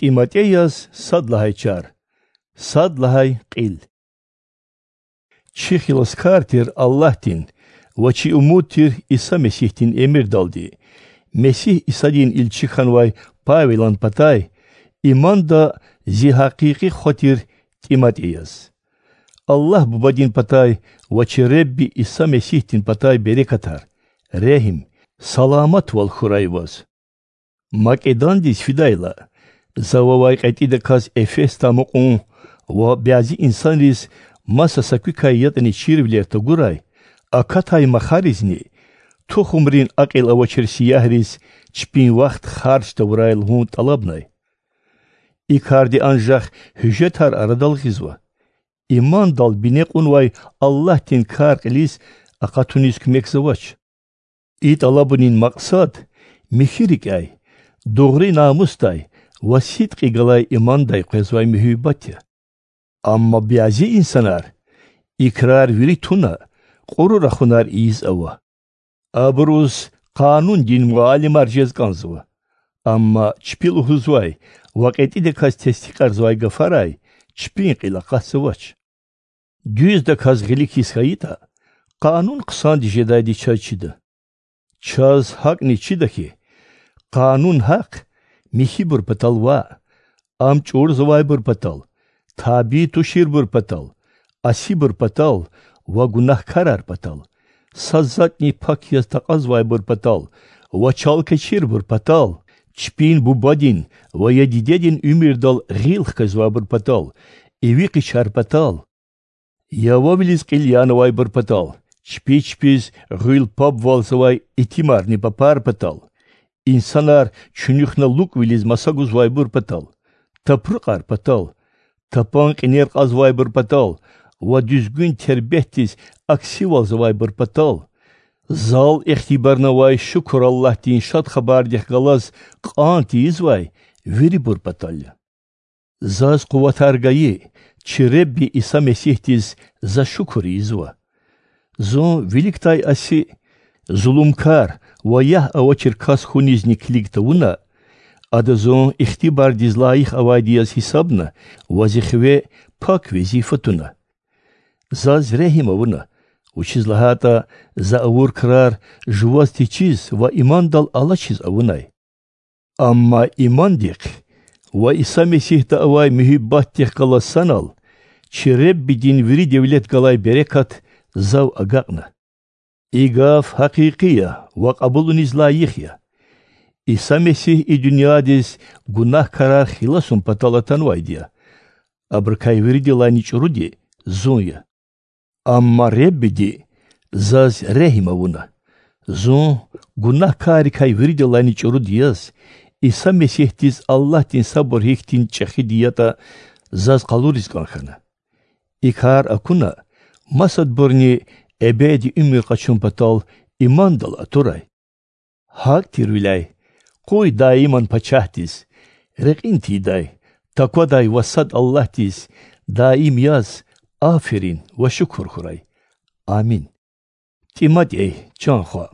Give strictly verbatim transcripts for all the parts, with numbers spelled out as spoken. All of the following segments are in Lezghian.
ТӀиматӀеяз сад лагьай чар, сад лагьай кьил. Чи хиласкар тир Аллагьдин ва чи умуд тир Иса Месигьдин эмирдалди, Месигь Исадин илчи хьанвай Павелан патай, иманда зи гьакъикъи хва тир ТӀиматӀеяз. Аллагь Бубадин патай ва чи Ребби Иса Месигьдин патай берекатар, регьим, саламатвал хьурай ваз. Македондиз фидайла, за вавай кьетӀидаказ Эфесда амукьун ва бязи инсанриз маса са куькай ятӀани чирвилер тагурай, акатай махаризни, тухумрин акьул авачир сиягьриз чпин вахт харж тавурай лугьун тӀалабнай. И карди анжах гьуьжетар арадал гъизва. Имандал бине кьунвай Аллагьдин кар кьилиз акъатуниз куьмекзавач. И тӀалабунин макьсад михьи рикӀяй, дугъри намусдай ва сидкьи галай имандай къвезвай муьгьуьббат я. Амма бязи инсанар, и крар вири туна, кьуру рахунар ийиз ава. Абуруз къанундин муаллимар жез кӀанзава. Амма чпи лугьузвай ва кьетӀидаказ тестикьарзавай гафарай чпин кьил акъатзавач. Дуьздаказ гъилик хьиз хьайитӀа, къанун хъсандиз жедайди чаз чида. Чаз гьакӀни чида хьи, къанун гьахъ— михьибур патал ваъ, ам чӀурзавайбур патал, табий туширбур патал, асибур патал ва гунагькарар патал, са затӀни пак яз такьазвайбур патал ва чалкечирбур патал, чпин бубадин ва я дидедин уьмуьрдал гъил хквезвайбур патал, иви къичар патал, я вавилиз кьил янавайбур патал, чпи чпиз гъуьл пабвалзавай итимарни папар патал, инсанар чуьнуьхна лукӀвилиз маса гузвайбур патал, тапрукьар патал, тапан кьинер кьазвайбур патал ва дуьзгуьн тербетдиз аксивалзавайбур патал, зал ихтибарнавай шукур Аллагьдин Шад Хабардихъ галаз кьан тийизвай вирибур патал я. Заз къуватар гайи чи Ребби Иса Месигьдиз за шукур ийизва. Зун виликдай аси, зулумкар ва ягь авачир кас хьунизни килиг тавуна, Ада зун ихтибардиз лайих авайди яз гьисабна ва зи хиве пак везифа туна. Заз регьим авуна, вучиз лагьайтӀа за авур крар жуваз течиз ва имандал алачиз авунай. Амма имандихъ ва Иса Месигьда авай муьгьуьббатдихъ галаз санал чи Реббидин вири девлет галай берекат зав агакьна. И гаф гьакъикъи я ва кьабулуниз лайих я: Иса Месигь и дуьньядиз гунагькарар хиласун патал атанвайди я. Абурукай виридалайни чӀуруди зун я. Амма Реббиди заз регьим авуна. Зун, гунагькаррикай виридалайни чӀуруди яз, Иса Месигьдиз Аллагьдин сабур гьихьтин чӀехиди ятӀа, заз къалуриз кӀан хьана. И кар акуна, масадбурни эбеди уьмуьр къачун патал имандал атурай. ГьакӀ тирвиляй, къуй даиман Пачагьдиз, рекьин тийидай, таквадай ва сад Аллагьдиз даим яз аферин ва шукур хьурай. Амин. ТӀиматӀей, чан хва,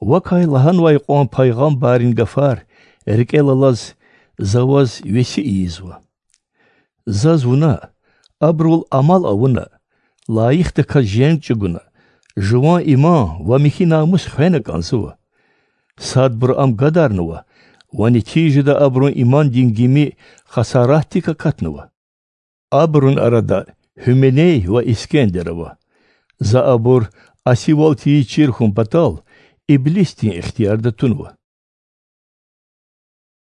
вакай лагьанвай кьван пайгъамбаррин гафар рикӀел алаз, за ваз веси ийизва. Заз вуна, абурал амал авуна, лайихдаказ женг чӀугуна, жуван иман ва михьи намус хвена кӀанзава. Садбуру ам гадарнава ва нетижада абурун имандин гими хасаратдик акатнава. Абурун арада Гьуменей ва Искендер ава. За абур асивал тийиз чир хьун патал иблисдин ихтиярда тунва.